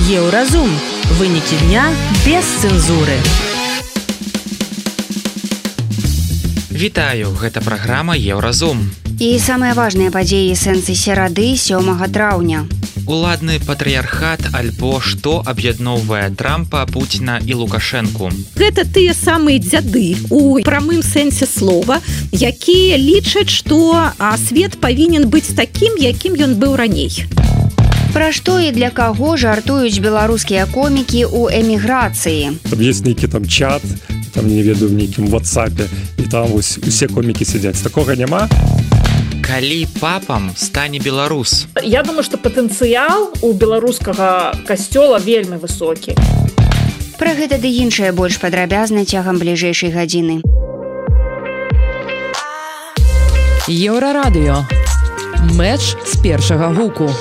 Еўразум. Вынікі дня без цэнзуры. Вітаю, гэта праграма Еўразум. І самыя важныя падзеі сэнсы серады 7 траўня. Уладны патрыярхат альбо што аб'ядноўвае Трампа, Пуціна і Лукашэнку. Гэта тыя самыя дзяды у прамым сэнсе слова, якія лічаць, што свет павінен быць такім, якім ён быў раней. Пра што і для каго жартуюць беларускія комікі ў эміграцыі? Там есть нейкі там чат, там не ведаю, в нейкім WhatsApp, і там усе комікі сядзяць. Такога няма? Калі папам стане беларус? Я думаю, што патэнцыял у беларускага касцёла вельмі высокі. Пра гэта ды іншае больш падрабязна цягам бліжэйшай гадзіны. Еўрарадыё. Мэч з першага гуку.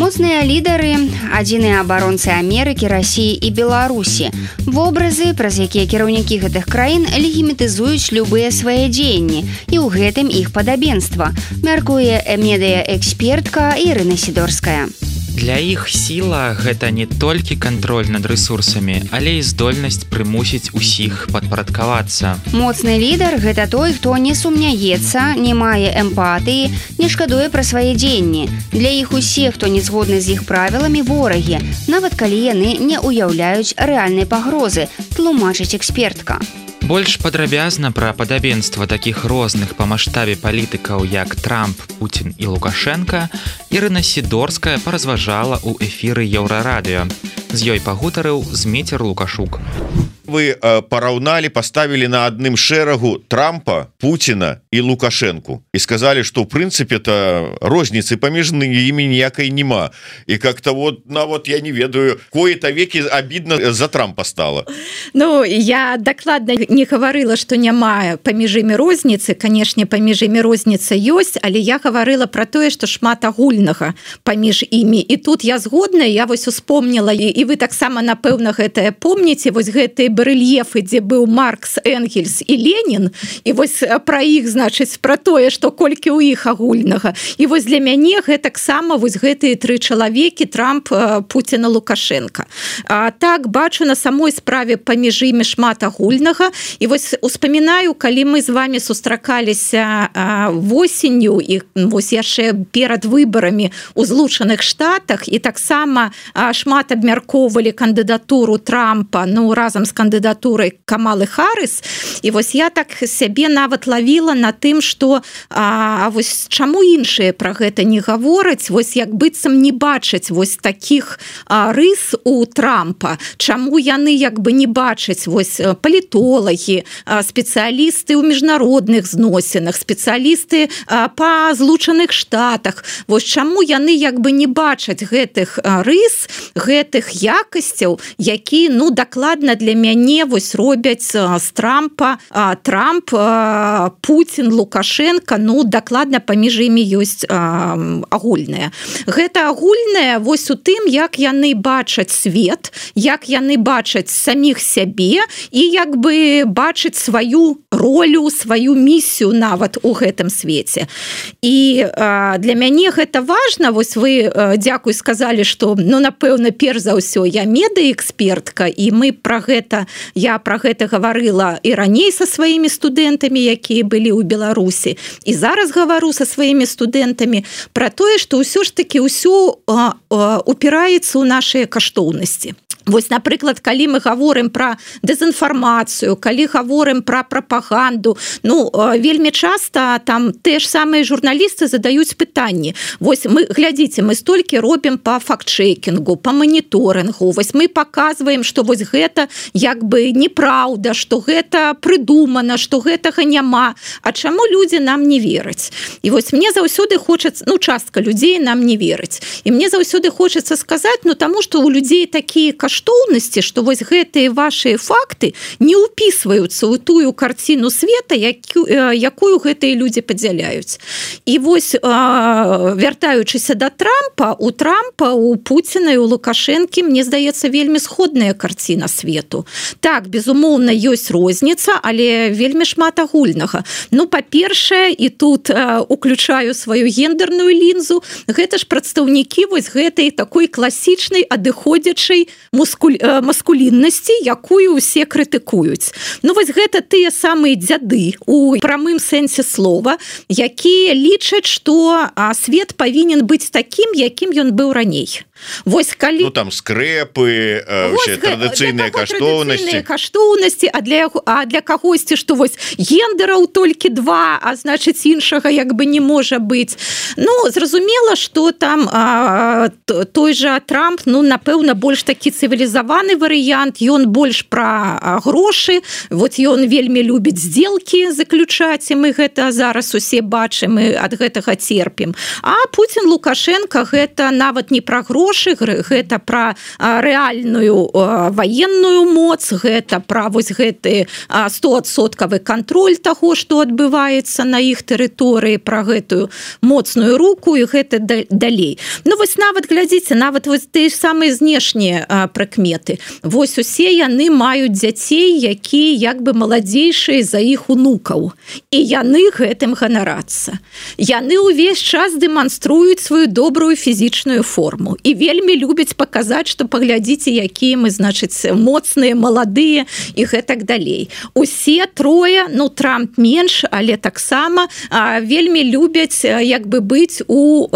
Моцныя лідары, адзіныя абаронцы Амерыкі, Расіі і Беларусі. Вобразы, праз якія кіраўнікі гэтых краін легімітызуюць любыя свае дзеянні, і ў гэтым іх падабенства, мяркуе медыаэкспертка Ірына Сідорская. Для іх сіла гэта не толькі кантроль над рэсурсамі, але і здольнасць прымусіць усіх падпарадкавацца. Моцны лідар – гэта той, хто не сумняецца, не мае эмпатыі, не шкадуе пра свае дзеянні. Для іх усе, хто не згодны з іх правіламі, ворагі, нават калі яны не ўяўляюць рэальнай пагрозы, тлумачыць экспертка. Больш падрабязна пра падабенства такіх розных па маштабе палітыкаў, як Трамп, Пуцін і Лукашэнка, Ірына Сідорская паразважала ў эфіры Еўрарадыё. З ёй пагутарыў Зміцер Лукашук. Вы параўналі, паставілі на адным шэрагу Трампа, Пуціна і Лукашэнку і сказалі, што ў прынцыпе-то розніцы паміж імі ніякай нема. І как-то вот, нават я не ведаю, кое-то векі абідна за Трампа стала. Ну, я дакладна не гаварыла, што няма паміж імі розніцы. Канешне, паміж імі розніца ёсць, але я гаварыла пра тое, што шмат агульнага паміж імі. І тут я згодна, я вось успомніла, і вы таксама, напэўна, гэтае помніце, вось гэтыя барэльефы, дзе быў Маркс, Энгельс і Ленін, і вось пра іх, значыць, пра тое, што колькі ў іх агульнага. І вось для мяне гэтаксама вось гэтыя тры чалавекі, Трамп, Пуцін і Лукашэнка. Так, бачу на самой справе паміж імі шмат агульнага, і вось успамінаю, калі мы з вамі сустракаліся восенню, і вось яшчэ перад выбарамі ў Злучаных Штатах, і таксама шмат абмяркоўвалі кандыдатуру Трампа, ну, разам з кандыдатурай Камалы Харрыс, і вось я так сябе нават лавіла на тым, што вось чаму іншыя пра гэта не гавораць, вось як быццам не бачаць вось такіх рыс у Трампа, чаму яны як бы не бачаць вось палітолагі, спецыялісты ў міжнародных зносінах, спецыялісты па Злучаных Штатах, вось чаму яны як бы не бачаць гэтых рыс, гэтых якасцяў, які, ну, дакладна для мяне вось робяць з Трампа, Трамп, Пуцін, Лукашэнка, ну, дакладна паміж імі ёсць агульнае. Гэта агульнае вось у тым, як яны бачаць свет, як яны бачаць саміх сябе і як бы бачаць сваю ролю, сваю місію нават у гэтым свеце. І для мяне гэта важна, вось вы, дзякуй, сказалі, што, ну, напэўна, перш за ўсё я медыаэкспертка, і мы пра гэта, я пра гэта гаварыла і раней са сваімі студэнтамі, якія былі ў Беларусі, і зараз гавару са сваімі студэнтамі пра тое, што ўсё ж такі ўсё упіраецца ў нашыя каштоўнасці. Вось, напрыклад, калі мы гаворым пра дэзінфармацыю, калі гаворым пра прапаганду, ну, вельмі часта там те ж самыя журналісты задаюць пытанні. Вось мы, глядзіце, мы столькі робім па факт-чекінгу, па маніторынгу, вось мы паказваем, што вось гэта як бы неправда, што гэта прыдумана, што гэтага няма. А чаму людзі нам не вераць? І вось мне заўсёды хочацца, ну, частка людзей нам не вераць. І мне заўсёды хочацца сказаць, ну, таму што ў людзей такія каштоўнасці, каштоўнасці, што вось гэтыя вашыя факты не ўпісваюцца ў тую карціну света, якую гэтыя людзі падзяляюць. І вось, вяртаючыся да Трампа, у Пуціна і у Лукашэнкі, мне здаецца, вельмі сходная карціна свету. Так, безумоўна, ёсць розніца, але вельмі шмат агульнага. Ну, па-першае, і тут уключаю сваю гендерную лінзу, гэта ж прадстаўнікі вось гэтай такой класічнай адыходзячай маскуліннасці, якую ўсе крытыкуюць. Ну, вось гэта тыя самыя дзяды у прамым сэнсе слова, якія лічаць, што свет павінен быць такім, якім ён быў раней. Вось калі... Ну, там скрэпы, традыцыйныя каштоўнасці, а для кагосьці, што вось гендераў толькі 2, а значыць іншага як бы не можа быць. Ну, зразумела, што там той жа Трамп, ну, напэўна, больш такі цывілізаваны варыянт, ён больш пра грошы, вот ён вельмі любіць здзелкі заключаць, і мы гэта зараз усе бачым і ад гэтага церпім. А Пуцін, Лукашенко гэта нават не пра грошы, гэта пра рэальную ваенную моц, гэта пра вось гэты 100% кантроль таго, што адбываецца на іх тэрыторыі, пра гэтую моцную руку і гэта далей. Ну вось нават, глядзіце, нават вось тыя самыя знешнія прыкметы. Вось усе яны маюць дзяцей, якія як бы маладзейшыя за іх унукаў. І яны гэтым ганарацца. Яны ўвесь час дэманструюць сваю добрую фізічную форму. І вельмі любяць паказаць, што паглядзіце, якія мы, значыць, моцныя, маладыя і гэтак далей. Усе трое, ну, Трамп менш, але таксама вельмі любяць як бы быць у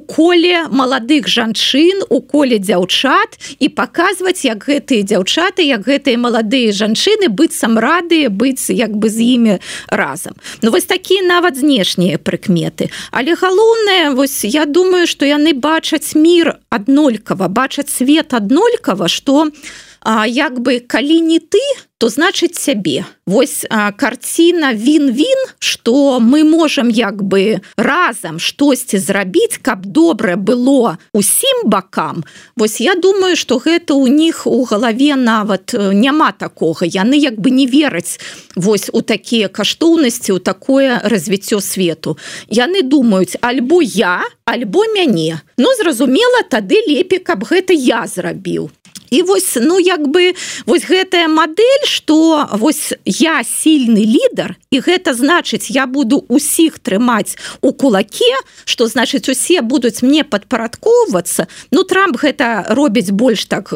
коле маладых жанчын, у коле дзяўчат і паказваць, як гэтыя дзяўчаты, як гэтыя маладыя жанчыны быццам радыя быць як бы з імі разам. Ну, вось такія нават знешнія прыкметы. Але галоўнае, вось я думаю, што яны бачаць мір аднолькава, бачаць свет аднолькава, што як бы калі не ты, то значыць сябе. Вось карціна він-він, што мы можам як бы разам штосьці зрабіць, каб добра было усім бакам. Вось я думаю, што гэта ў них у галаве нават няма такога. Яны як бы не вераць вось у такія каштоўнасці, у такое развіццё свету. Яны думаюць, альбо я, альбо мяне. Ну, зразумела, тады лепей, каб гэта я зрабіў. І вось, ну, як бы, вось гэтая мадэль, што вось я сильны лідар, і гэта значыць, я буду усіх трымаць у кулаке, што значыць, усе будуць мне падпарадкоўвацца. Ну, Трамп гэта робіць больш так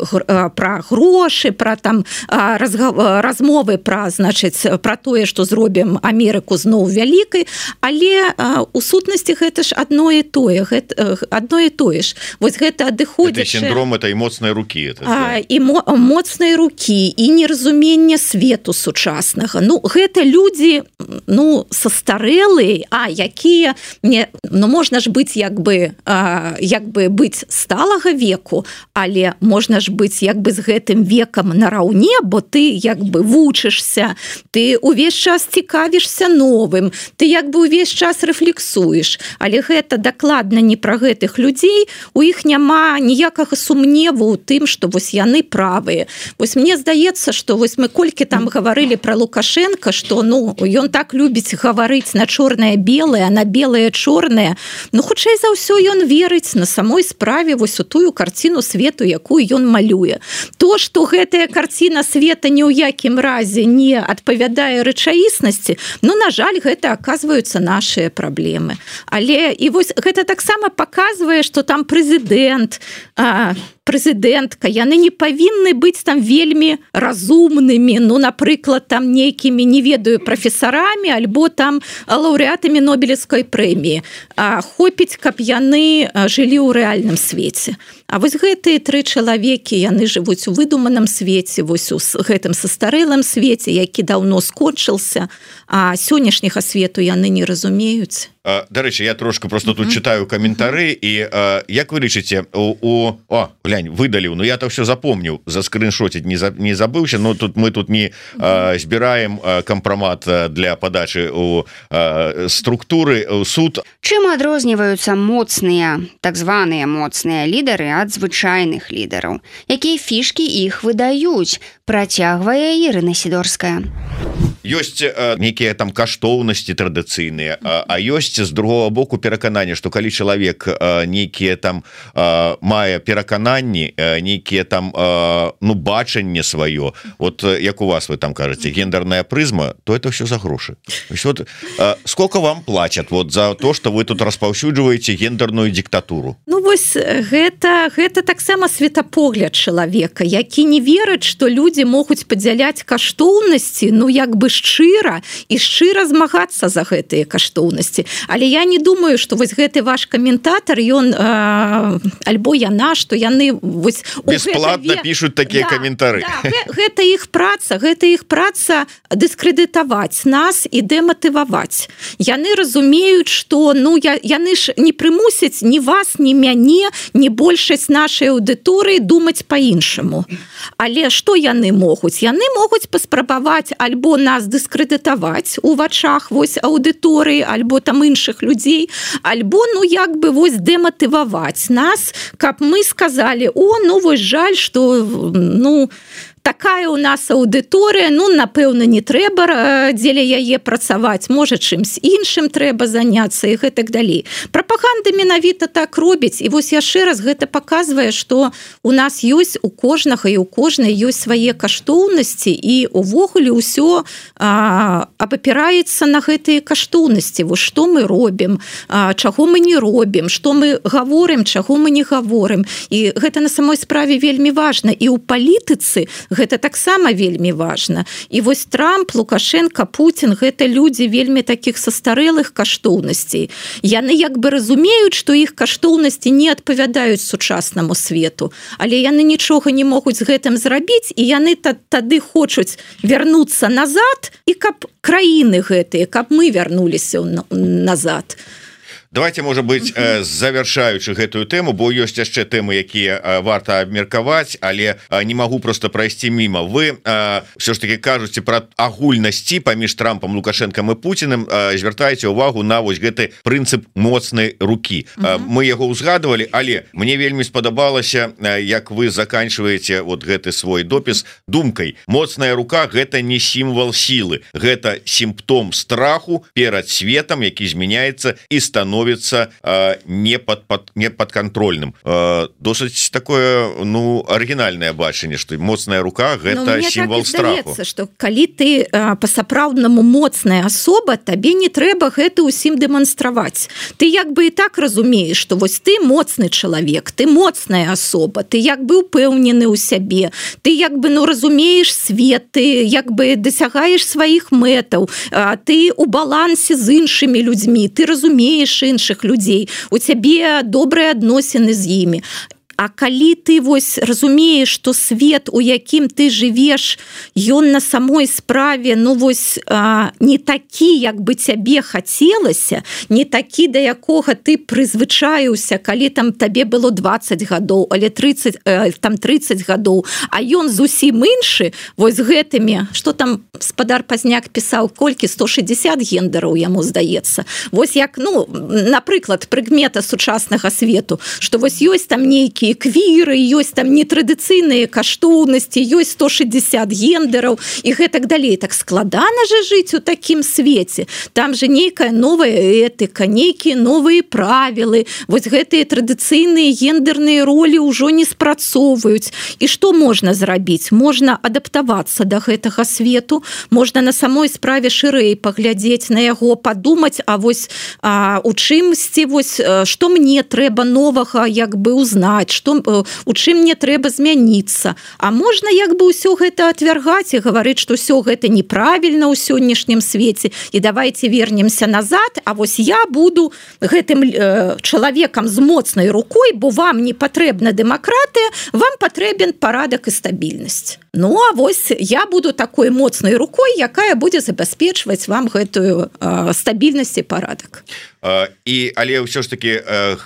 пра грошы, пра там размовы пра, значыць, пра тое, што зробім Амерыку зноў вялікай, але у сутнасці гэта ж адно і тое ж. Вось гэта адыходзячае... Гэта сіндром этой моцнай рукі, і моцнай рукі, і неразуменне свету сучаснага. Ну, гэта людзі, ну, састарэлыя, якія, ну, можна ж быць як бы быць сталага веку, але можна ж быць як бы з гэтым векам нараўне, бо ты як бы вучышся, ты увесь час цікавішся новым, ты як бы увесь час рэфлексуеш, але гэта дакладна не пра гэтых людзей, у іх няма ніякага сумневу ў тым, што вось яны правыя. Вось мне здаецца, што вось мы колькі там гаварылі пра Лукашенка, што, ну, ён так любіць гаварыць на чорнае-белае, а на белае-чорнае. Ну, хутчэй за ўсё ён верыць на самой справе вось у тую карціну свету, якую ён малюе. То, што гэтая карціна света ні ў якім разе не адпавядае рэчаіснасці, ну, на жаль, гэта аказваюцца нашыя праблемы. Але і вось гэта таксама паказвае, што там прэзідэнтка, яны не павінны быць там вельмі разумнымі, ну, напрыклад, там нейкімі, не ведаю, прафесарамі, альбо там лаўрэатамі Нобелевскай прэміі. Хопіць, каб яны жылі ў рэальным свеце. А вось гэтыя 3 чалавекі, яны жывуць у выдуманым свеце, вось у гэтым састарэлым свеце, які даўно скончыўся, а сённяшняга свету яны не разумеюць. Дарэчы, я трошку просто тут читаю каментары, і як вы лічыце, глянь, выдаліў, ну я-то все запомніў, заскриншотить не забыўся, но тут мы тут не збіраем кампрамат для падачы у структуры, у суд. Чым адрозніваюцца моцныя, так званыя моцныя лідары ад звычайных лідараў. Якія фішкі іх выдаюць, працягвае Ірына Сідорская. Ёсць нейкія там каштоўнасці традыцыйныя, а ёсць з другого боку перакананне, што калі чалавек нейкія там мае перакананні, нейкія там бачанне сваё, вот як у вас вы там кажаце, гендерная прызма, то это все за грошы. Вот, сколько вам платят вот за то, что вы тут распаўсюджваеце гендерную диктатуру? Ну вось гэта таксама светапогляд чалавека, які не верыць, што людзі могуць падзяляць каштоўнасці, як бы шчыра і шчыра змагацца за гэтыя каштоўнасці. Але я не думаю, што вось гэты ваш каментатар, ён альбо яна, што яны вось бесплатно пишут такія каментары. Гэта іх праца дыскрэдытаваць нас і дэматываваць. Яны разумеюць, што яны ж не прымусяць ні вас, ні мяне, ні большасць нашай аўдыторыі думаць па-іншаму. Але што яны могуць? Яны могуць паспрабаваць альбо нас дыскрэдытаваць у вачах вось аўдыторыі, альбо там іншых людзей, альбо як бы вось дэматываваць нас, каб мы сказалі: вось жаль, што такая у нас аўдыторыя, напэўна, не трэба дзеля яе працаваць, можа, чымсь іншым трэба заняцца і гэтак далей. Прапаганда менавіта так робіць, і вось яшчэ раз гэта паказвае, што у нас ёсць у кожнага і у кожнай ёсць свае каштоўнасці, і увогуле ўсё абапіраецца на гэтыя каштоўнасці. Вось што мы робім, чаго мы не робім, што мы гаворым, чаго мы не гаворым. І гэта на самой справе вельмі важна. І ў палітыцы гэта таксама вельмі важна. І вось Трамп, Лукашенко, Путін — гэта людзі вельмі такіх састарэлых каштоўнасцей. Яны як бы разумеюць, што іх каштоўнасці не адпавядаюць сучаснаму свету, але яны нічога не могуць з гэтым зрабіць, і яны тады хочуць вярнуцца назад, і каб краіны гэтыя, каб мы вярнуліся назад. Давайте, можа быть, завяршаючы гэтую тэму, бо ёсць яшчэ тэмы, якія варта абмеркаваць, але не магу просто прайсці міма. Вы все ж таки кажуце пра агульнасці паміж Трампам, Лукашэнкам і Пуціным, звяртаеце ўвагу на вось гэты прынцып моцнай рукі. Мы яго ўзгадывалі, але мне вельмі спадабалася, як вы заканчваеце вот гэты свой допіс думкай: моцная рука — гэта не сімвал сілы, гэта сімптом страху перад светом, які змяняецца і становіцца непадкантрольным. Досыць такое арыгінальнае бачанне, што моцная рука — гэта сімвал страху. Здаецца, што калі ты па-сапраўднаму моцная асоба, табе не трэба гэта ўсім дэманстраваць. Ты як бы і так разумееш, што вось ты моцны чалавек, ты моцная асоба, ты як бы упэўнены ў сябе, ты як бы разумееш свет, ты як бы дасягаеш сваіх мэтаў, ты у балансе з іншымі людзьмі, ты разумееш іншых людзей, у цябе добрыя адносіны з імі. А калі ты вось разумееш, што свет, у якім ты жывеш, ён на самой справе не такі, як бы цябе хацелася, не такі, да якога ты прызвычаіўся, калі там табе было 20 гадоў, але 30 гадоў, а ён зусім іншы, вось гэтымі, што там спадар Пазняк пісаў, колькі 160 гендераў яму здаецца. Вось як, напрыклад, прыкмета сучаснага свету, што вось ёсць там нейкі квіры, ёсць там нетрадыцыйныя каштоўнасці, ёсць 160 гендераў і гэтак далей. Так складана же жыць у такім свеце. Там же нейкая новая этыка, нейкія новыя правілы. Вось гэтыя традыцыйныя гендерныя ролі ўжо не спрацоўваюць. І што можна зрабіць? Можна адаптавацца да гэтага свету, можна на самой справе шырэй паглядзець на яго, падумаць, а вось у чымсьці, вось што мне трэба новага як бы узнаць, у чым мне трэба змяніцца. А можна як бы ўсё гэта отвергаць і гаварыць, што ўсё гэта неправільна ў сённяшнім свеце, і давайте вернемся назад, а вось я буду гэтым чалавекам з моцнай рукой, бо вам не патрэбна дэмакратыя, вам патрэбен парадак і стабільнасць. А вось я буду такой моцнай рукой, якая будзе забяспечваць вам гэтую стабільнасць і парадак. Але ўсё ж таки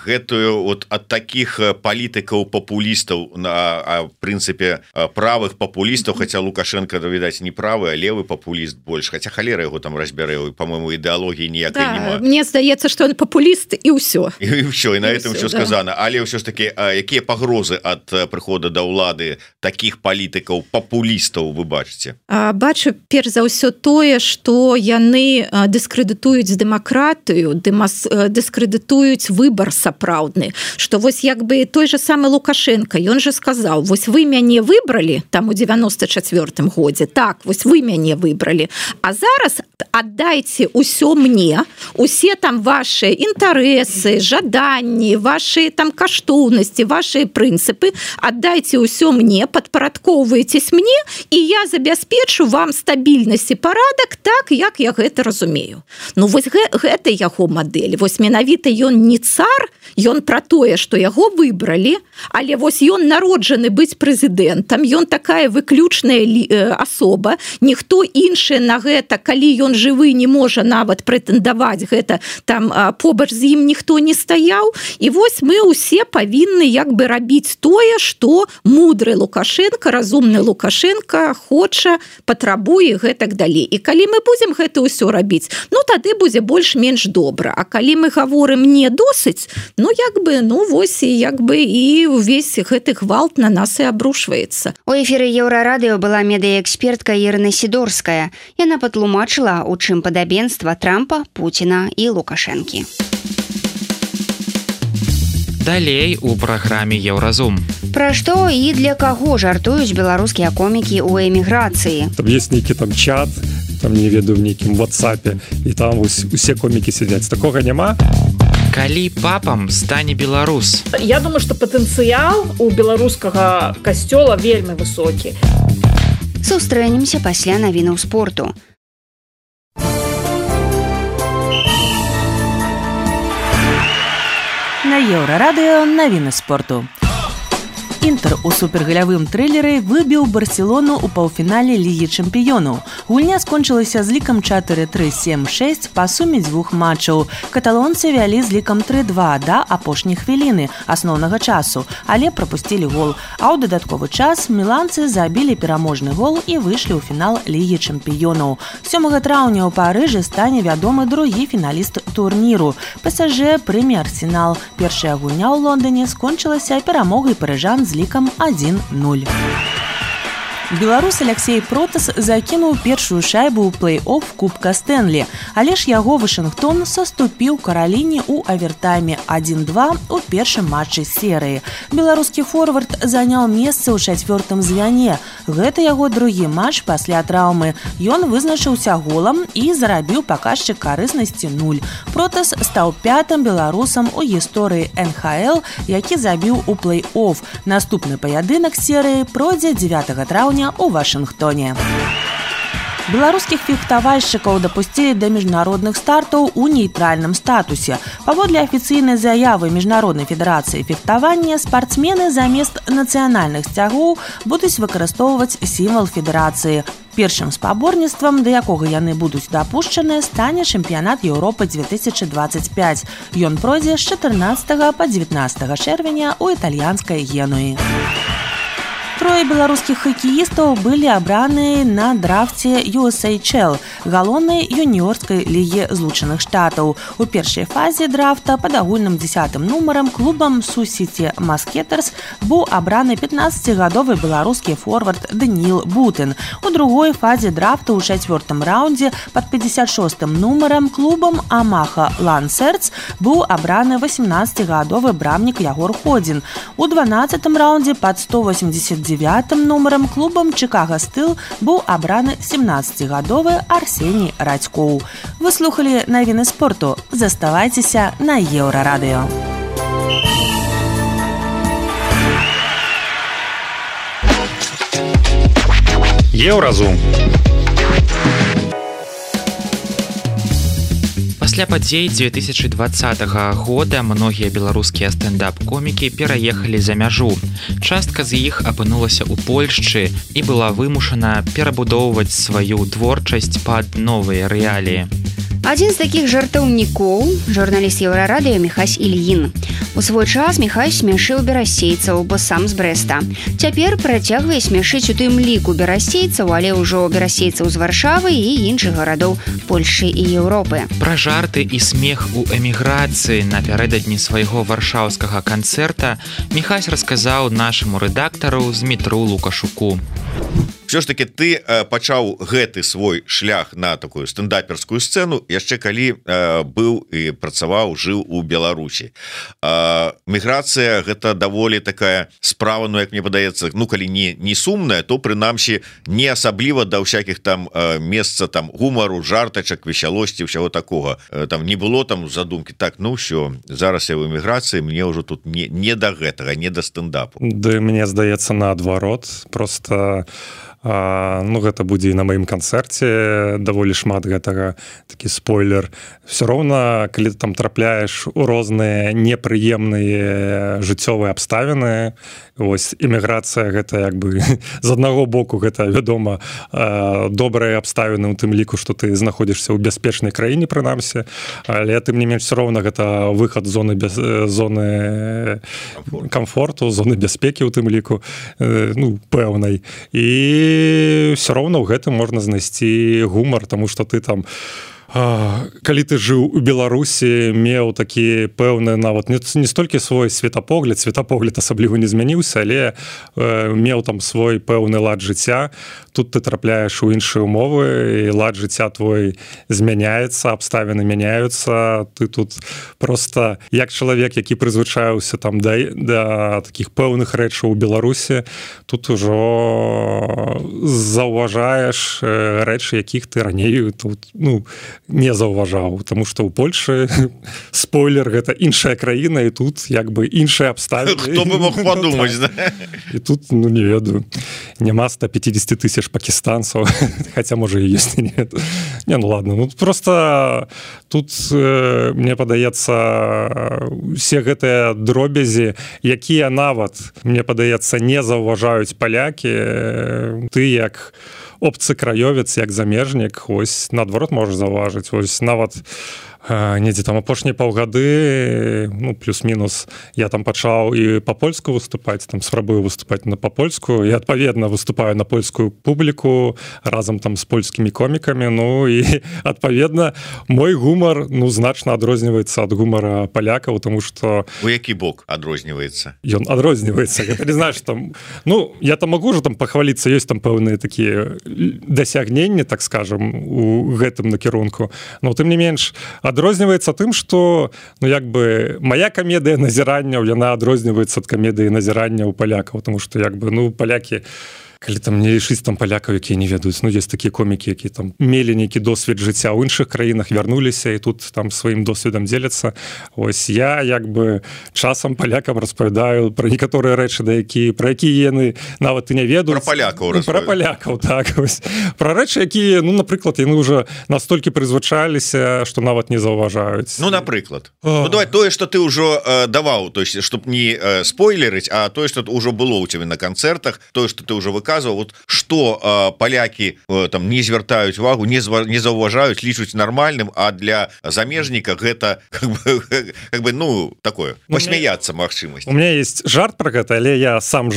гэтую ад такіх палітык палітыкаў папулістаў на прынцыпе правых папулістаў, хаця Лукашенко, відаць, не правы, а левы папуліст больш, хаця халера яго там разбярэ, по-моему, ідэалогіі ніякай нема. Мне здаецца, што ён папуліст і ўсё. І ўсё, і на этом ўсё сказано. Але ўсё ж таки, якія пагрозы ад прыхода да ўлады такіх палітыкаў папулістаў вы бачыце? Бачу, перш за ўсё тое, што яны дыскрэдытуюць дэмакратыю, дыскрэдытуюць выбар сапраўдны, што вось як бы той же самы Лукашенко, ён же сказаў, вось вы мяне выбралі там у 94-м годзе, так, вось вы мяне выбралі, а зараз аддайце ўсё мне, усе там ваши інтарэсы, жаданні, ваши там каштоўнасці, ваши прынцыпы, аддайце ўсё мне, падпарадкоўваецесь мне, і я забяспечу вам стабільнасць і парадак так, як я гэта разумею. Ну вось гэта яго мадэль. Вось менавіта ён не цар, ён пра тое, што яго выбралі, але вось ён народжаны быць прэзідэнтам, ён такая выключная асоба, ніхто іншы на гэта, калі ён жывы, не можа нават прэтэндаваць гэта, там побач з ім ніхто не стаяў, і вось мы ўсе павінны як бы рабіць тое, што мудры Лукашенко, разумны Лукашенко хоча, патрабуе гэтак далей. І калі мы будзем гэта ўсё рабіць, ну тады будзе больш-менш добра. А калі мы гаворым не досыць, ну як бы, ну вось і як бы і увесь гэты гвалт на нас і абрушваецца. У эфіры Еўрарадыё была медыяэкспертка Ірына Сідорская. Яна патлумачыла, у чым падабенства Трампа, Пуціна і Лукашэнкі. Далей у праграме Еўразум. Пра што і для каго жартуюць беларускія комікі ў эміграцыі? Там есть нейкі там чат, там не ведаю, в нейкім WhatsApp, і там усе комікі сядзяць. Такога няма? Калі папам стане беларус? Я думаю, што патэнцыял у беларускага касцёла вельмі высокі. Сустрэнемся пасля навінаў спорту. На Еўрарадыё навіны спорту. Інтэр у супергалявым трылеры выбіў Барселону ў паўфінале Лігі чэмпіёнаў. Гульня скончылася з лікам 4-3-7-6 па суме дзвюх матчаў. Каталонцы вялі з лікам 3-2 да апошняй хвіліны асноўнага часу, але прапусцілі гол. А ў дадатковы час міланцы забілі пераможны гол і выйшлі ў фінал Лігі чэмпіёнаў. 7 траўня ў Парыжы стане вядомы другі фіналіст турніру. ПСЖ прыме Арсенал. Першая гульня ў Лондоне скончылася перамогай парыжан з лікам 1-0. Беларус Алексей Протас закінуў першую шайбу ў плэй-офф Кубка Стэнлі, але ж яго Вашынгтон саступіў Караліне ў авертайме 1-2 у першым матчы серыі. Беларускі форвард заняў месца ў чацвёртым звяне. Гэта яго другі матч пасля траўмы. Ён вызначыўся голам і зарабіў паказчык карыснасці 0. Протас стаў 5-м беларусам у гісторыі НХЛ, які забіў у плэй-офф. Наступны паядынак серыі пройдзе 9 траўня у Вашынгтоне. Беларускіх фехтавальшчыкаў дапусцілі да міжнародных стартаў у нейтральным статусе. Паводле афіцыйнай заявы Міжнароднай федэрацыі фехтавання, спартсмены замест нацыянальных сцягоў будуць выкарыстоўваць сімвал федэрацыі. Першым спаборніцтвам, да якога яны будуць дапушчаныя, стане чэмпіянат Еўропы 2025. Ён пройдзе з 14 па 19 чэрвеня ў італьянскай Генуі. Трое беларускіх хакеістаў былі абраныя на драфце USHL, галоўнай юніорскай лігі Злучаных Штатаў. У першай фазе драфта пад агульным 10-м нумарам клубам Sioux City Musketers быў абраны 15-гадовы беларускі форвард Даніил Бутын. У другой фазе драфта ў 4-м раўндзе пад 56-м нумарам клубам Амаха Лансерц быў абраны 18-гадовы брамнік Ягор Ходзін. У 12-м раўндзе пад 189-м нумарам клубам Чикаго Стыл быў абраны 17-гадовы Арсеній Радзькоў. Вы слухалі навіны спорту. Заставайцеся на Еўрарадыё. Еўразум. Пасля падзей 2020 года многія беларускія стендап-комікі пераехалі за мяжу. Частка з іх апынулася ў Польшчы і была вымушана перабудоўваць сваю творчасць пад новыя рэаліі. Адзін з такіх жартаўнікоў – журналіст Еўрарадыё Міхась Ільін. У свой час Міхась смяшыў берасейцаў, бо сам з Брэста. Цяпер працягвае смяшыць у тым ліку берасейцаў, але ўжо берасейцаў з Варшавы і іншых гарадоў Польшы і Еўропы. Пра жарты і смех у эміграцыі напярэдадні свайго варшаўскага канцэрта Міхась расказаў нашаму рэдактару Змітру Лукашуку. Все ж таки ты пачаў гэты свой шлях на такую стендаперскую сцэну яшчэ калі быў і працаваў, жыў у Беларусі. Міграцыя гэта даволі такая справа, ну як мне падаецца, ну калі не сумная, то прынамсі не асабліва да ўсякіх там месца там гумару, жартачак, весялосці, ўсяго такога. Там не было там задумкі, так, ну ўсё, зараз я ў эміграцыі, мне ўжо тут не да гэтага, не да стендапу. Да мне здаецца наадварот, просто ну гэта будзе і на маім канцэрце даволі шмат гэтага, такі спойлер. Все роўна, калі ты там трапляеш у розныя непрыемныя жыццёвыя абставіны, вось эміграцыя гэта як бы з аднаго боку гэта вядома добрыя абставіны у тым ліку, што ты знаходзішся ў бяспечнай краіне прынамсі, але тым не менш все роўна гэта выхад з зоны камфорту, зоны бяспекі ў тым ліку, ну пэўнай. І все роўна ў гэтым можна знайсці гумар, таму што ты там калі ты жыў у Беларусі, меў такі пэўны нават не столькі свой светапогляд асабліва не змяніўся, але меў там свой пэўны лад жыцця. Тут ты трапляеш у іншыя умовы, і лад жыцця твой змяняецца, абставіны мяняюцца. Ты тут просто як чалавек, які прызвычаіўся там да такіх пэўных рэчаў у Беларусі, тут ужо заўважаеш рэчы, якіх ты раней тут, ну, не заўважаў, тому што ў Польшы спойлер, гэта іншая краіна, і тут як бы іншыя абставіны. Хто бы мог падумаць, да? І тут, ну не ведаю, няма 150 000 пакістанцаў, хаця можа і ёсць, не. Не, ну ладно, ну просто тут мне падаецца усе гэтыя дробязі, якія нават мне падаецца не заўважаюць палякі, ты як обцы краёвец, як замежнік, ось наадварот можаш заўважыць, ось нават недзе там апошнія паўгады, ну плюс-мінус, я там пачаў і па-польску выступаць, там спрабую выступаць па-польску, і адпаведна выступаю на польскую публіку разам там з польскімі комікамі, ну і адпаведна мой гумар, ну значна адрозніваецца ад гумара палякаў, тому што у які бок адрозніваецца? Ён адрозніваецца, гэта не знаеш там, ну я там магу ж там пахваліцца, ёсць там пэўныя такія дасягненні, так скажем, у гэтым накірунку, но тым не менш адрозніваецца тым, што ну як бы моя камедыя назіранняў, яна адрозніваецца ад камедыі назірання ў палякаў, тому што як бы ну палякі, калі там не лічыць там палякаў, якія не ведаюць, ну ёсць такія комікі, які там мелі нейкі досвед жыцця ў іншых краінах, вярнуліся і тут там сваім досведам дзеляцца. Ось я як бы часам палякам распавядаю пра некаторыя рэчы, пра якія яны нават і не ведаюць. Пра палякаў, так, ось. Пра рэчы, якія, ну напрыклад, яны ўжо настолькі прызвычаліся, што нават не заўважаюць. Ну напрыклад. Ну давай тое, што ты ўжо даваў, то есть чтоб не спойлерыць, а тое, што ўжо было ў цябе на канцэртах, тое, што ты ўжо выказваў, вот что палякі там не звяртаюць увагу, не заўважаюць, лічуць нармальным, а для замежніка гэта как бы ну такое посмяяться магчымасць. У меня есть жарт про гэта, але я сам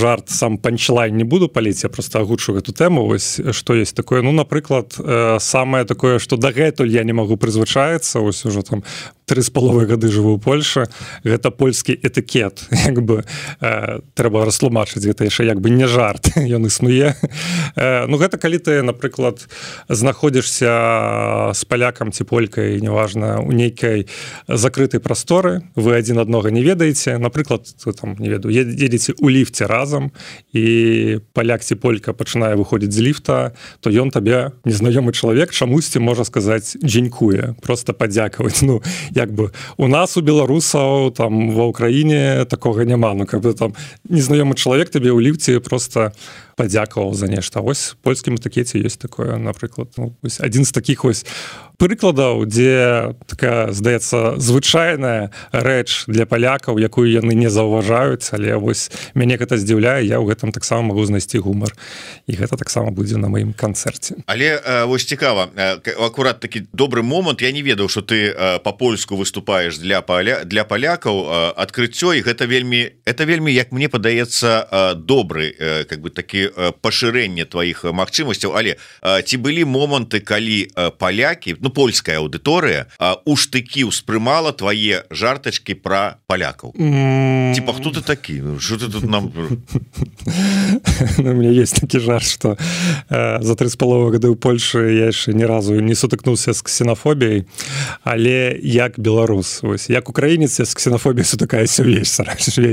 панчлайн не буду паліць, я просто агучу гэту тэму. Вось што есть такое, ну напрыклад, самае такое, што дагэтуль я не магу прызвычаецца, ось ужо там 3,5 гады жыву ў Польшы, гэта польскі этыкет, як бы трэба растлумачыць, гэта яшчэ як бы не жарт, ён існуе. Ну гэта калі ты, напрыклад, знаходзішся з палякам ці полькай, неважна, у нейкай закрытай прасторы, вы адзін аднога не ведаеце, напрыклад, там не ведаю, едзеце ў ліфце разам, і паляк ці полька пачынае выходзіць з ліфта, то ён табе, незнаёмы чалавек, чамусьці можа сказаць дзякуе, просто падзякаваць. Ну як бы у нас у беларусаў там ва ўкраіне такога няма, ну как бы там незнаёмы чалавек табе ў ліфце просто падзякаваў за нешта. Вось польскім этыкеце ёсць такое, напрыклад, адзін з такіх вось прыкладаў, дзе такая, здаецца, звычайная рэч для палякаў, якую яны не заўважаюць, але вось мяне гэта здзіўляе, я ў гэтым таксама магу знайсці гумар. І гэта таксама будзе на маім канцэрце. Але вось цікава, акурат такі добры момант, я не ведаў, што ты па-польску выступаеш для палякаў, адкрыццё, і гэта вельмі, як мне падаецца, добры, как бы такі пашырэнне тваіх магчымасцяў. Але ці былі моманты, калі палякі, польская аўдыторыя у штыкі ўспрымала твае жартачкі пра палякаў? Типа, хто ты такі? Что ты тут нам... У меня есть такі жарт, что за 3,5 гады ў Польшы я яшчэ ні разу не сутыкнуўся з ксенафобіяй, але як беларус, вось, як украінец, я з ксенафобіяй сутыкаюся ўвесь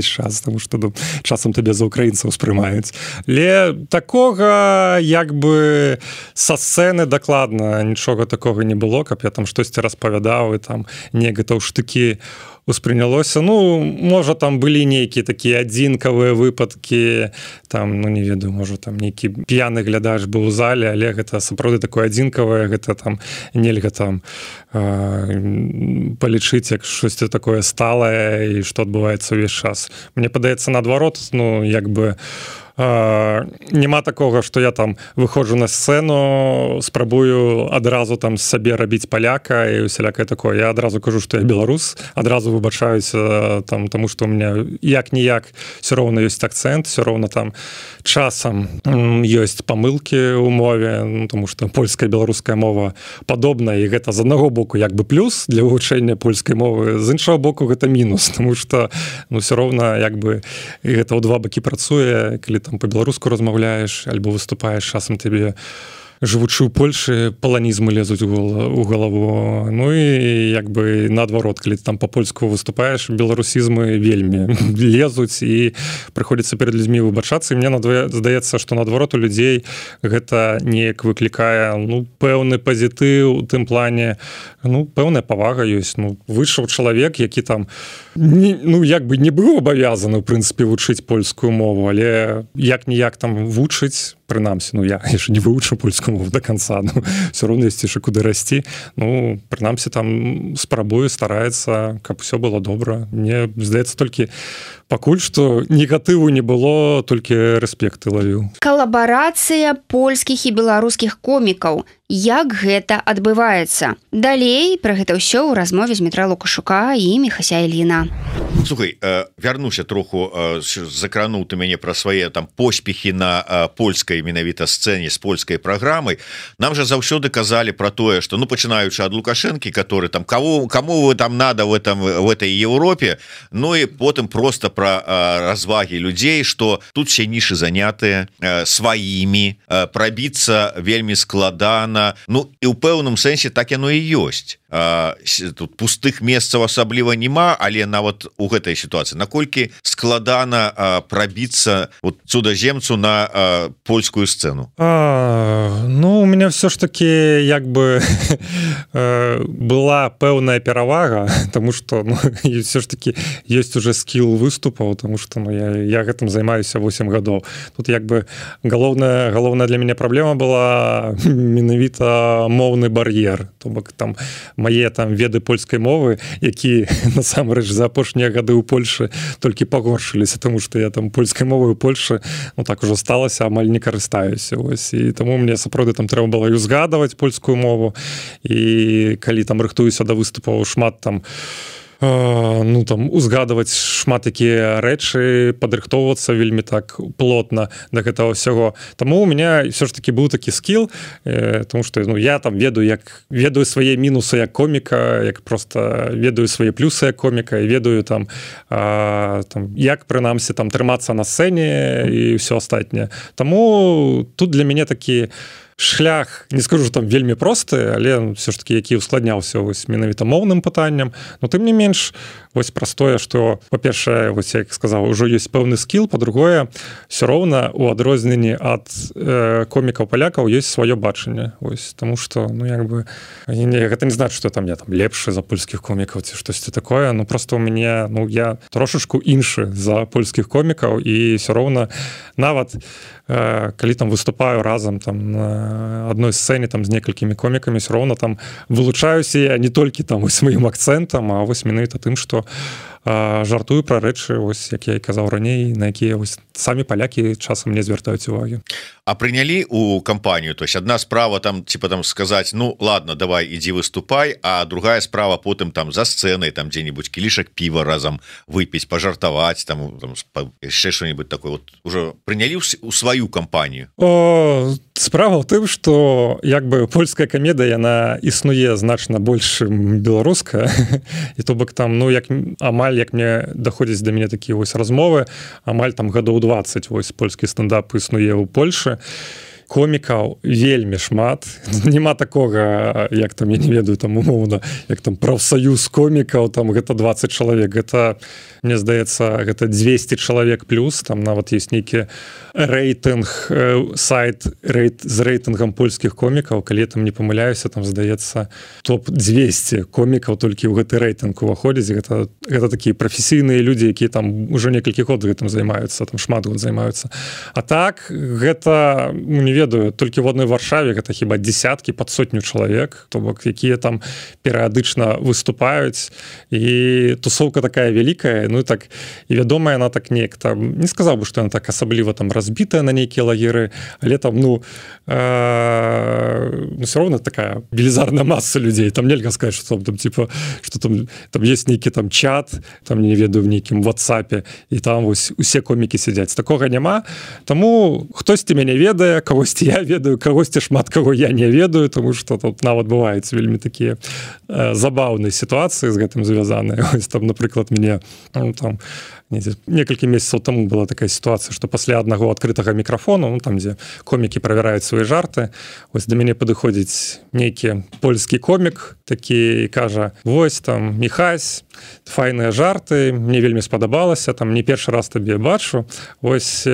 час, тому што часам табе за украінцаў успрымаюць. Але такога, як бы, са сцэны дакладна нічога такога не было, каб я там штосьці распавядаў, і там гэта ў штыкі успрынялося. Можа, там былі нейкія такія адзінкавыя выпадкі, там, не ведаю, можа, там нейкі п'яны глядач быў у зале, але гэта сапраўды такое адзінкавае, гэта там нельга там палічыць, як штосьці такое сталае і што адбываецца ўвесь час. Мне падаецца, наадварот, як бы няма такога, што я там выходжу на сцэну, спрабую адразу там сабе рабіць паляка і усялякае такое. Я адразу кажу, што я беларус, адразу выбачаюся там, таму што ў меня як-ніяк все роўна ёсць акцэнт, все роўна там часам ёсць памылкі ў мове, таму што польская і беларуская мова падобная, і гэта з аднаго боку як бы плюс для вывучэння польскай мовы, з іншага боку гэта мінус, таму што все роўна як бы гэта ў два бакі працуе, калі там по-беларуску размаўляеш альбо выступаеш, часам тебе жывучы ў Польшы паланізмы лезуць у галаву. І як бы наадварот, калі ты там па-польску выступаеш, беларусізмы вельмі лезуць і прыходзіцца перад людзьмі выбачацца. І мне здаецца, што наадварот у людзей гэта неяк выклікае пэўны пазітыў у тым плане, пэўная павага ёсць. Выйшаў чалавек, які там як бы не быў абавязаны, у прынцыпе, вучыць польскую мову, але як-ніяк там вучыць, прынамсі, я яшчэ не вывучыў польскую мову до конца, все роўна ёсць яшчэ куды расці. Прынамсі, там спрабуе, стараецца, каб усё было добра. Мне здаецца, толькі пакуль што негатыву не было, толькі рэспекты лавіў. Калабарацыя польскіх і беларускіх комікаў. Як гэта адбываецца? Далей пра гэта ўсё ў размове з Дмітра Лукашука і Міхася Іліна. Слухай, вярнуся троху, закрануў ты мяне пра свае там поспехі на польскай менавіта сцэне з польскай праграмай. Нам жа заўсёды казалі пра тое, што пачынаючы ад Лукашэнкі, который там кому вы там надо в этой Европе, і потым просто пра развагі людзей, што тут все нішы занятыя сваімі, прабіцца вельмі складана. І ў пэўным сэнсе так яно і ёсць. Тут пустых месцаў асабліва няма, але нават у гэтай сітуацыі наколькі складана прабіцца цудаземцу на польскую сцэну? У меня все ж таки як бы была пэўная перавага, тому что все ж таки есть уже скилл выступаў, тому что я гэтым займаюся 8 гадоў. Тут як бы галоўная для мяне праблема была менавіта моўны бар'ер, то бок там мае там веды польскай мовы, які насамрэч за апошнія гады ў Польшы толькі пагоршыліся, тому што я там польскай мовай у Польшы так ужо сталася, амаль не карыстаюся. І таму мне сапраўды там трэба было узгадваць польскую мову, і калі там рыхтуюся да выступаў, шмат там узгадваць шмат якія рэчы, падрыхтоўвацца вельмі так плотна да гэтага ўсяго. Таму у меня все ж таки быў такі скіл, тому што я там ведаю свае мінусы як коміка, як просто ведаю свае плюсы як коміка, і ведаю там як прынамсі там трымацца на сцэне і ўсё астатняе. Таму тут для мяне такі шлях, не скажу, там вельмі просты, але все ж таки які ускладняўся вось менавіта моўным пытанням, но тым не менш вось простое, што па-першае, вось як сказаў, ужо ёсць пэўны скіл, па-другое, все роўна у адрозненні ад комікаў палякаў ёсць сваё бачанне. Вось таму што ну як бы гэта не значит, што там я там лепшы за польскіх комікаў ці штосьці такое, ну просто у мяне ну я трошачку іншы за польскіх комікаў і все роўна нават калі там выступаю разам там на адной сцэне там з некалькімі комікамі все роўна там вылучаюся я не толькі там вось маім акцэнтам, а вось менавіта тым, што жартую пра рэчы, вось як я і казаў раней, на якія вось самі палякі часам не звяртаюць увагі. А прынялі у кампанію, то есть одна справа там типа там сказаць ну ладно давай ідзі выступай, а другая справа потым там за сцэнай там дзе-нибудь кілішак піва разам выпіць, пажартаваць там яшчэ что-нибудь такое вот уже прынялі у сваю кампанію. Справа ў тым, што як бы польская камедыя яна існуе значна больш беларуская і то бок там ну як амаль як мне даходзіць да мяне такія вось размовы, амаль там гадоў 20 вось польскі стендап існуе ў Польшы. Комікаў вельмі шмат, няма такога як там я не ведаю там умоўна як там прафсаюз комікаў там гэта 20 чалавек, гэта мне здаецца гэта 200 чалавек плюс там нават ёсць нейкі рэйтынг сайт з рэйтынгам польскіх комікаў, калі там не памыляюся там здаецца топ-200 комікаў толькі ў гэты рэйтынг уваходзіць, гэта такія прафесійныя людзі, якія там ужо некалькі год гэтым займаюцца, там шмат год займаюцца. А так гэта не ведаю, толькі в одной Варшаве гэта хіба десяткі пад сотню чалавек, то бок якія там перыядычна выступаюць і тусоўка такая вялікая, ну і так і вядомая она так неяк там не сказаў бы, што яна так асабліва там разбітая на нейкія лагеры, але там ну все равно такая велізарная маса людзей, там нельга сказаць, што там типа што там есть нейкі там чат, там не ведаю в нейкім WhatsApp і там вось усе комікі сядзяць, такога няма, таму хтосьці мяне ведае, кагосьці я ведаю, кагосьці шмат каго я не ведаю, тому што тут нават бываюць вельмі такія забаўныя сітуацыі з гэтым звязаныя. Ось там, напрыклад, мне там некалькі месяцаў таму была такая сітуацыя, што пасля аднаго адкрытага мікрафону, ну там дзе комікі правяраюць свае жарты, ось да мяне падыходзіць нейкі польскі комік, такі кажа: "Вось там Міхась, файныя жарты, мне вельмі спадабалася, там не першы раз табе бачу. Вось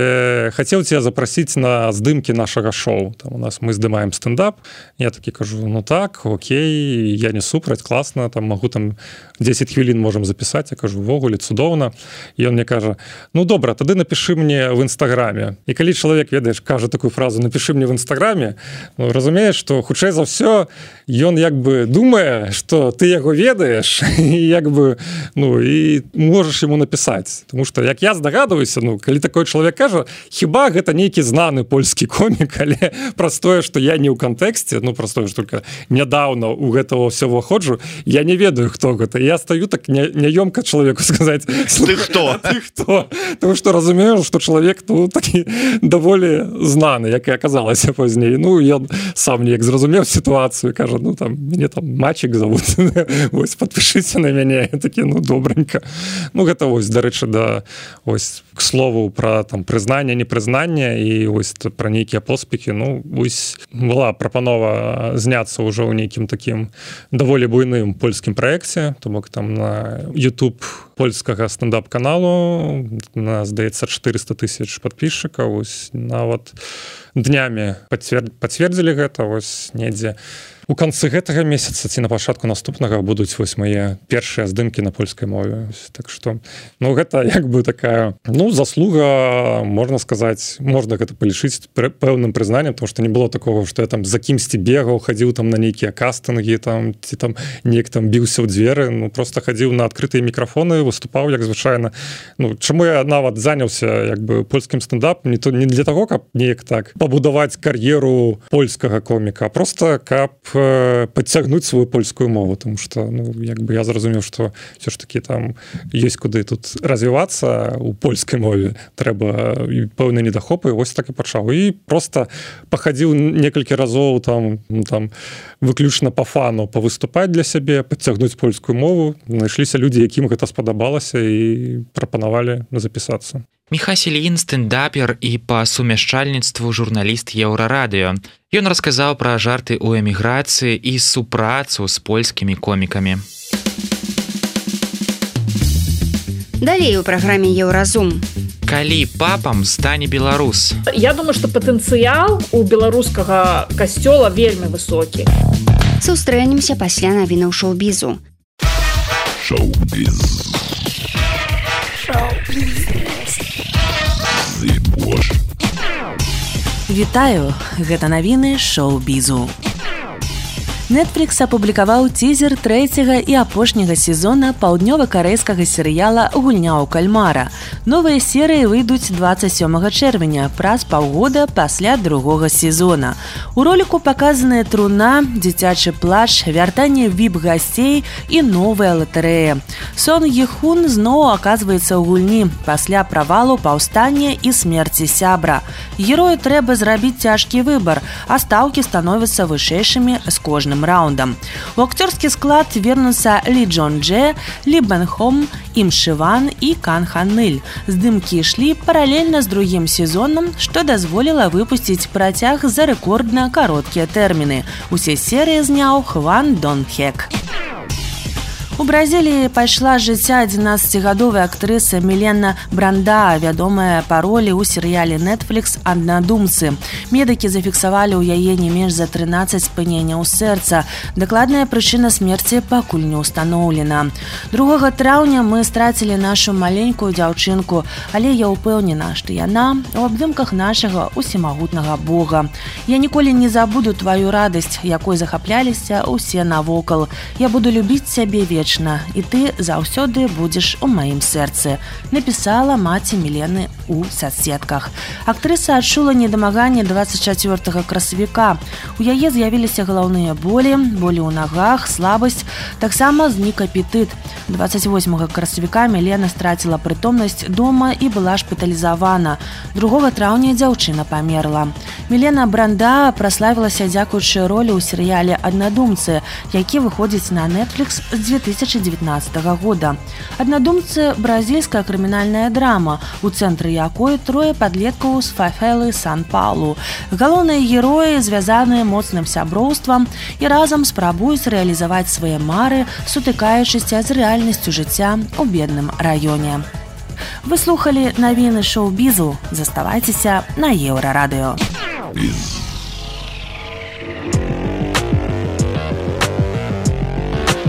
хацеў цябе запрасіць на здымкі нашага шоу. Там у нас мы здымаем стендап". Я такі кажу: "Ну так, окей, я не супраць, класна, там магу там 10 хвілін можам запісаць". Я кажу: "Ввогуле цудоўна". І ён мне кажа: "Ну добра, тады напішы мне в інстаграме". І калі чалавек, ведаеш, кажа такую фразу: "Напішы мне в інстаграме", ну, разумееш, што хутчэй за ўсё ён як бы думае, што ты яго ведаеш і як бы ну і можаш яму напісаць, тому што як я здагадваюся, ну калі такой чалавек кажа, хіба гэта нейкі знаны польскі комік, але простое, што я не ў кантэксце, ну простое, што только нядаўна у гэтага ўсё выходжу, я не ведаю, хто гэта. Я стаю так няёмка чалавеку сказаць: "Ты хто?" Ты хто? Тому што разумею, што чалавек ну такі даволі знаны, як і аказалася пазней. Ну ён сам неяк зразумеў сітуацыю, кажа: "Ну там мяне там Мачик зовут, вось подпішыце на мяне". Такі: "Ну добренько". Ну гэта вось, дарэчы, да ось к слову пра там прызнанне, непрызнанне і ось пра нейкія поспехі. Ну вось была прапанова зняцца ўжо ў нейкім такім даволі буйным польскім праекце, то бок там на YouTube польскага стендап-каналу на, здаецца, 400 000 падпісчыкаў. Ось нават днямі пацвердзілі гэта, вось недзе у канцы гэтага месяца ці на пачатку наступнага будуць вось мае першыя здымкі на польскай мове. Так што ну гэта як бы такая ну заслуга, можна сказаць, можна гэта палічыць пэўным прызнаннем, тому што не было такого, што я там за кімсьці бегаў, хадзіў там на нейкія кастынгі там ці там неяк там біўся ў дзверы, ну просто хадзіў на адкрытыя мікрафоны, выступаў як звычайна. Ну чаму я нават заняўся як бы польскім стендапам, не для таго, каб неяк так пабудаваць кар'еру польскага коміка, а просто каб падцягнуць сваю польскую мову, тому што ну як бы я зразумеў, што ўсё ж такі там ёсць куды тут развівацца у польскай мове, трэба пэўныя недахопы, вось так і пачаў. І просто пахадзіў некалькі разоў там выключна па фану павыступаць для сябе, падцягнуць польскую мову. Знайшліся людзі, якім гэта спадабалася і прапанавалі запісацца. Міхась Ільін стендапер і па сумяшчальніцтву журналіст Еўрарадыё. Ён расказаў пра жарты ў эміграцыі і супрацу з польскімі комікамі. Далей у праграме Еўразум. Калі папам стане беларус? Я думаю, што патэнцыял у беларускага касцёла вельмі высокі. Сустрэнемся пасля навінаў шоу-бізу. Вітаю, гэта навіны шоу-бізу. Netflix апублікаваў цізер трэцяга і апошняга сезона паўднёва-карэйскага серыяла «Гульня ў кальмара». Новыя серыі выйдуць 27 чэрвеня, праз паўгода пасля другога сезона. У роліку паказаная труна, дзіцячы плач, вяртанне віп-гасцей і новая латарэя. Сон Ехун зноў аказваецца ў гульні пасля правалу паўстання і смерці сябра. Герою трэба зрабіць цяжкі выбар, а стаўкі становяцца вышэйшымі з кожным раундам. У акцёрскі склад вернуцца Лі Джон Дже, Лі Бен Хом, Ім Шыван і Кан Ханыль. Здымкі ішлі паралельна з другім сезонам, што дазволіла выпусціць працяг за рэкордна кароткія тэрміны. Усе серыі зняў Хван Дон Хек. У Бразіліі пайшла з жыцця 11-гадовая актрыса Мілена Бранда, вядомая па ролі ў серыяле Netflix «Аднадумцы». Медыкі зафіксавалі ў яе не менш за 13 спыненняў сэрца. Дакладная прычына смерці пакуль не ўстаноўлена. 2 траўня мы страцілі нашу маленькую дзяўчынку, але я ўпэўнена, што яна ў абдымках нашага усімагутнага Бога. Я ніколі не забуду тваю радасць, якой захапляліся ўсе навокал. Я буду любіць цябе вечна. І ты заўсёды будзеш у маім сэрцы, напісала маці Мілены ў соцсетках. Актрыса адчула недамаганне 24 красавіка. У яе з'явіліся галаўныя болі ў нагах, слабасць, таксама знік апетыт. 28 красавіка Мілена страціла прытомнасць дома і была шпіталізавана. 2 траўня дзяўчына памерла. Мілена Бранда праславілася дзякуючы ролі ў серыяле «Аднадумцы», які выходзіць на Netflix з 2019 года. «Аднадумцы» – бразільская крымінальная драма, у цэнтры якой 3 падлеткаў з фавелы Сан-Паулу. Галоўныя героі звязаныя моцным сяброўствам і разам спрабуюць рэалізаваць свае мары, сутыкаючыся з рэальнасцю жыцця ў бедным раёне. Вы слухалі навіны шоу-бізу. Заставайцеся на Еўрарадыё.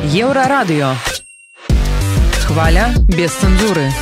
Еўрарадыё. Хваля без цэнзуры.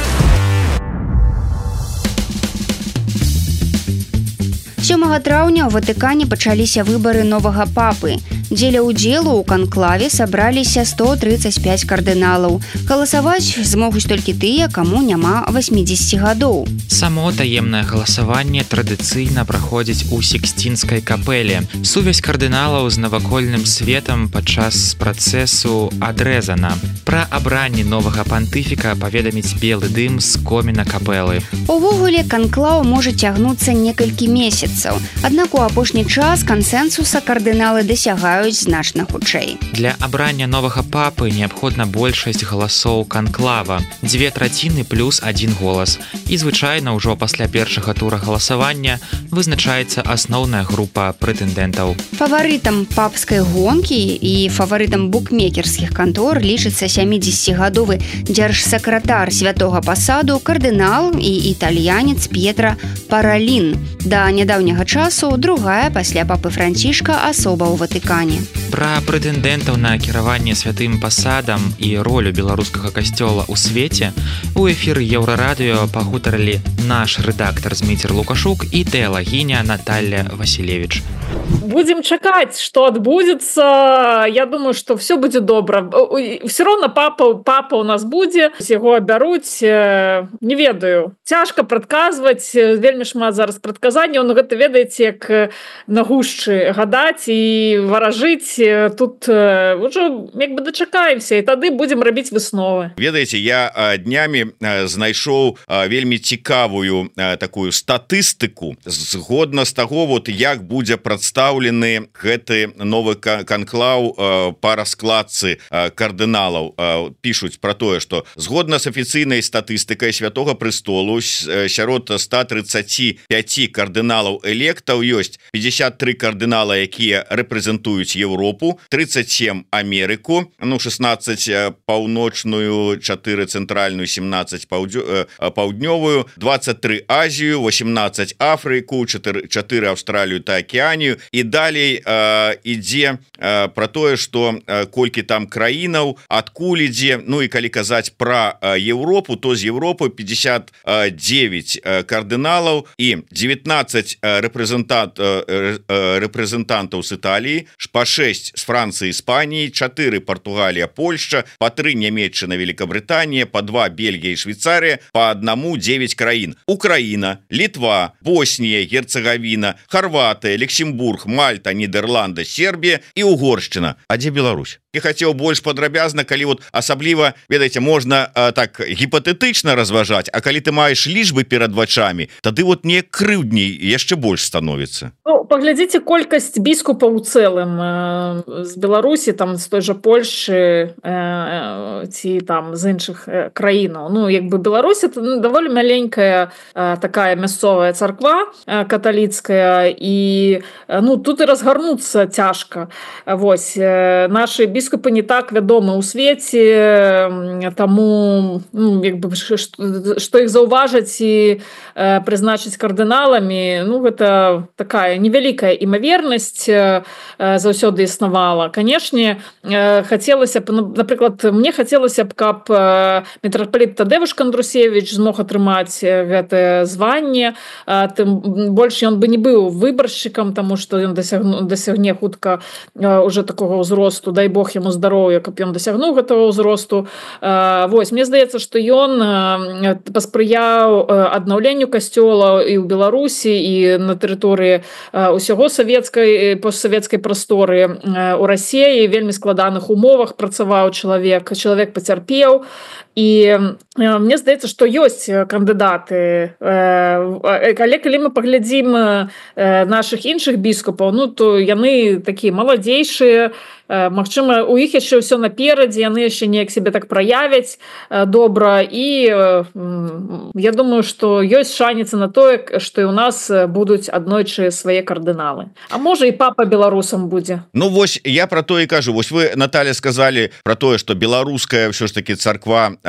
7 траўня ў Ватыкане пачаліся выбары новага папы. Дзеля ўдзелу ў канклаве сабраліся 135 кардыналаў. Галасаваць змогуць толькі тыя, каму няма 80 гадоў. Само таемнае галасаванне традыцыйна праходзіць у Сікстінскай капэле. Сувязь кардыналаў з навакольным светам падчас працэсу адрэзана. Пра абранне новага пантыфіка паведаміць белы дым з коміна капэлы. Увогуле, канклаў можа цягнуцца некалькі месяцаў. Аднак у апошні час кансэнсуса кардыналы дасягаюць значна хутчэй. Для абрання новага папы неабходна большасць галасоў канклава, 2/3 плюс 1 голас. І звычайна ўжо пасля першага тура галасавання вызначаецца асноўная група прэтэндэнтаў. Фаварытам папскай гонкі і фаварытам букмекерскіх кантор лічыцца 70-гадовы дзяржсакратар святога пасаду кардынал і італьянец П'етра Паралін. Да нядаўняга часу другая пасля папы Францішка асоба ў Ватыкане. Пра прэтэндэнтаў на кіраванне святым пасадам і ролю беларускага касцёла ў свеце у эфіры Еўрарадыё пагутарылі наш рэдактар Зміцер Лукашук і тэалагіня Наталья Васілевіч. Будем чакаць, што адбудзецца. Я думаю, што все будзе добра. Все роўна папа у нас будзе, яго абяруць, не ведаю. Цяжка прадказваць, вельмі шмат зараз прадказанняў, но гэта ведаеце, як на гушчы гадаць і варажаць пажыць тут ўжо як бы дачакаемся і тады будзем рабіць высновы. Ведаеце, я днямі знайшоў вельмі цікавую такую статыстыку згодна з таго, вот як будзе прадстаўлены гэты новы канклаў па раскладцы кардыналаў. Пішуць про тое, што згодна з афіцыйнай статыстыкай Святога Престолу сярод 135 кардыналаў электаў ёсць 53 кардынала, якія рэпрэзентуюць Еўропу, 37 Амерыку, 16 паўночную, 4 цэнтральную, 17 паўднёвую, 23 Азію, 18 Афрыку, 4 Аўстралію та Акеанію. І далей ідзе про тое, што колькі там краінаў, адкуль ідзе. Ну і калі казаць про Еўропу, то з Еўропы 59 кардыналаў і 19 рэпрэзентантаў з Італіі, па 6 з Францыі, Іспаніі, 4 Португалія, Польшча, па 3 Нямецчына, Великобританія, па 2 Бельгія і Швейцарія, па 1 9 краін. Украіна, Літва, Боснія, Герцегавіна, Хорватыя, Люксембург, Мальта, Нідерланды, Сербія і Угоршчына. А дзе Беларусь? Я хацеў больш падрабязна, калі вот асабліва, ведаеце, можна так гіпатэтычна разважаць, а калі ты маеш лічбы перад вачамі, тады вот не крыўдней яшчэ больш становіцца. Ну, паглядзіце колькасць біскупаў у цэлым з Беларусі, там з той жа Польшчы ці там з іншых краінаў. Ну, як бы Беларусь это даволі маленькая такая мясцовая царква каталіцкая, і ну тут і разгарнуцца цяжка. Вось нашы біскупы не так вядомы ў свеце, таму ну, як бы, што іх заўважаць і прызначыць кардыналамі, ну гэта такая невялікая імавернасць заўсёды існавала. Канешне, хацелася б, напрыклад, мне хацелася б, каб мітрапаліт Тадзеуш Кандрусевіч змог атрымаць гэтае званне, тым больш ён бы не быў выбаршчыкам, таму што ён дасягне хутка уже такога ўзросту, дай Бог яму здароўя, каб ён дасягнуў гэтага ўзросту. Вось, мне здаецца, што ён паспрыяў аднаўленню касцёла і ў Беларусі, і на тэрыторыі ўсяго савецкай, постсавецкай прасторы у Расіі, вельмі складаных умовах працаваў чалавек пацярпеў. І мне здаецца, што ёсць кандыдаты. Але калі мы паглядзім нашых іншых біскупаў, ну то яны такія маладзейшыя, магчыма, у іх яшчэ ўсё наперадзе, яны яшчэ неяк себе так праявяць добра, і я думаю, што ёсць шаніцы на тое, што і ў нас будуць аднойчы свае кардыналы. А можа і папа беларусам будзе. Ну вось я про то і кажу. Вось вы, Наталья, сказали про тое, што беларуская ўсё ж таки царква,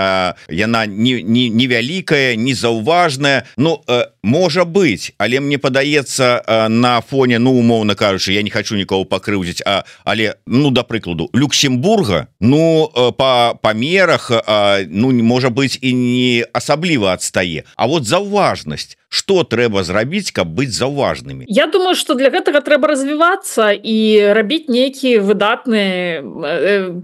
яна невялікая, незаўважная. Ну можа быць, але мне падаецца на фоне, ну умоўна кажучы, я не хочу нікого пакрыўдзіць, але ну да прыкладу Люксембурга, ну по памерах, ну можа быць і не асабліва адстае. А вот заўважнасць, што трэба зрабіць, каб быць заўважнымі? Я думаю, што для гэтага трэба развівацца і рабіць нейкі выдатны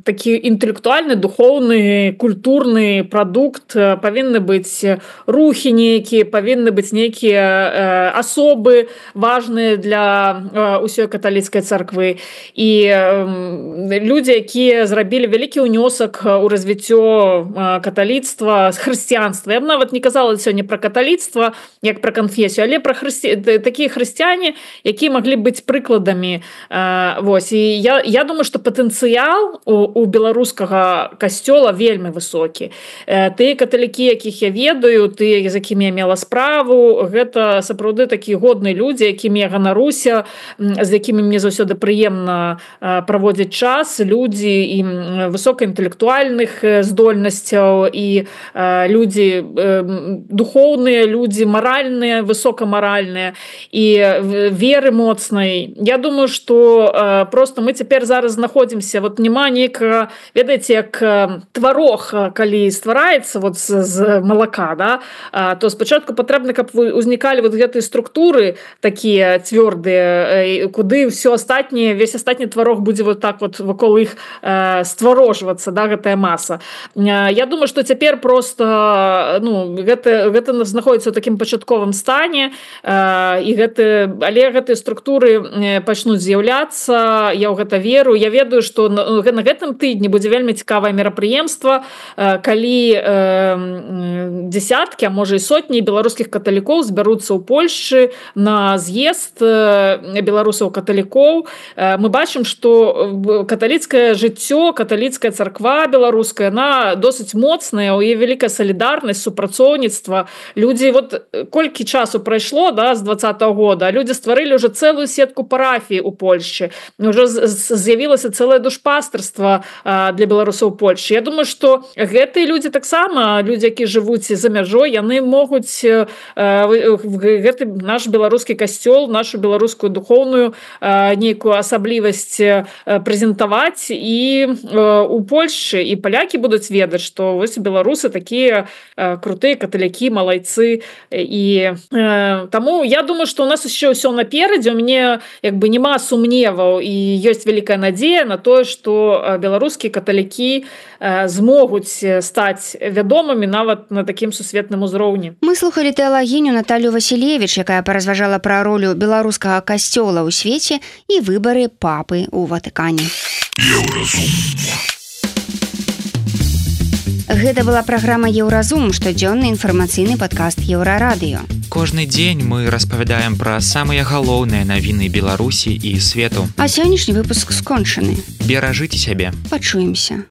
такі інтэлектуальны, духоўны, культурны прадукт. Павінны быць рухі нейкія, павінны быць нейкія асобы важныя для ўсёй каталіцкай царквы. І людзі, якія зрабілі вялікі ўнёсак у развіццё каталіцтва, хрысціянства. Я б нават не казала сёння пра каталіцтва, як пра канфесію, але пра такія хрысціяне, якія маглі быць прыкладамі. Вось. І я думаю, што патэнцыял у беларускага касцёла вельмі высокі. Тыя каталікі, якіх я ведаю, тыя, з якімі я мела справу, гэта сапраўды такія годныя людзі, якімі я ганаруся, з якімі мне заўсёды прыемна праводзіць час, людзі і высокаінтэлектуальных здольнасцяў, і людзі духоўныя, людзі маральныя, высокамаральныя і веры моцнай. Я думаю, што просто мы цяпер зараз знаходзімся, вот няма нейкага, ведаеце, як тварог, калі ствараецца вот з малака, да, то спачатку патрэбна, каб узнікалі вот гэтыя структуры такія цвёрдыя, куды ўсё астатняе, весь астатні тварог будзе вот так вот вакол іх стварожвацца, да, гэтая маса. Я думаю, што цяпер просто гэта знаходзіцца ў такім пачатковым стане, але гэтыя структуры пачнуць з'яўляцца, я ў гэта веру. Я ведаю, што на гэтым тыдні будзе вельмі цікавае мерапрыемства, калі десяткі, а можа і сотні беларускіх каталікоў збяруцца ў Польшчы на з'езд беларусаў-каталікоў. Мы бачым, што каталіцкае жыццё, каталіцкая царква беларуская, она досыць моцная, у яе вялікая салідарнасць, супрацоўніцтва. Людзі, колькі часу прайшло, да, з 20-го года, людзі стварылі ўжо цэлую сетку парафій у Польшчы. Уже з'явілася цэлае душпастарства для беларусаў Польшчы. Я думаю, што гэтыя людзі таксама, людзі, якія жывуць за мяжой, яны могуць гэты наш беларускі касцёл, нашу беларускую духоўную нейкую асаблівасць прэзентаваць і у Польшчы, і палякі будуць ведаць, што вось беларусы такія крутыя каталікі, малайцы. І таму я думаю, што у нас яшчэ ўсё наперадзе, у мяне няма сумневаў і ёсць вялікая надзея на тое, што беларускія каталікі змогуць стаць вядомымі нават на такім сусветным узроўні. Мы слухалі тэалагіню Наталью Васілевіч, якая паразважала пра ролю беларускага касцёла ў свеце і выбары папы ў Ватыкане. Гэта была праграма «Еўразум», штодзённы інфармацыйны падкаст Еўрарадыё. Кожны дзень мы распавядаем пра самыя галоўныя навіны Беларусі і свету. А сённяшні выпуск скончаны. Беражыце сябе. Пачуемся.